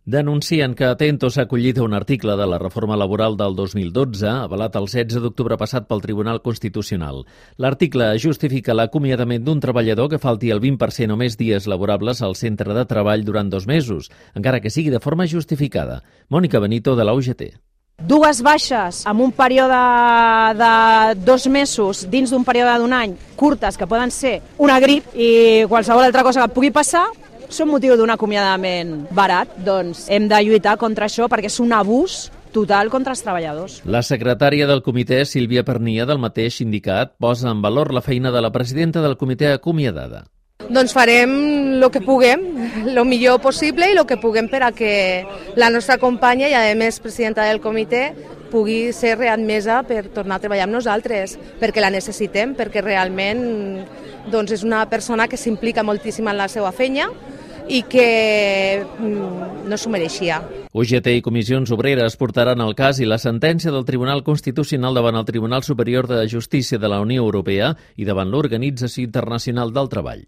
Denuncien que Atento s'ha acollit a un article de la reforma laboral del 2012, avalat el 16 d'octubre passat pel Tribunal Constitucional. L'article justifica l'acomiadament d'un treballador que falti el 20% o més dies laborables al centre de treball durant 2 mesos, encara que sigui de forma justificada. Mònica Benito, de la UGT. 2 baixes en un període de 2 mesos dins d'un període d'un any, curtes, que poden ser una grip i qualsevol altra cosa que pugui passar, són motiu d'un acomiadament barat. Doncs hem de lluitar contra això perquè és un abús total contra els treballadors. La secretària del comitè, Sílvia Pernia, del mateix sindicat, posa en valor la feina de la presidenta del comitè acomiadada. Doncs farem el que puguem, el millor possible i el que puguem per a que la nostra companya i, a més, presidenta del comitè, pugui ser readmesa per tornar a treballar amb nosaltres, perquè la necessitem, perquè realment doncs, és una persona que s'implica moltíssim en la seva feina i que no s'ho mereixia. UGT i Comissions Obreres portaran el cas i la sentència del Tribunal Constitucional davant el Tribunal Superior de Justícia de la Unió Europea i davant l'Organització Internacional del Treball.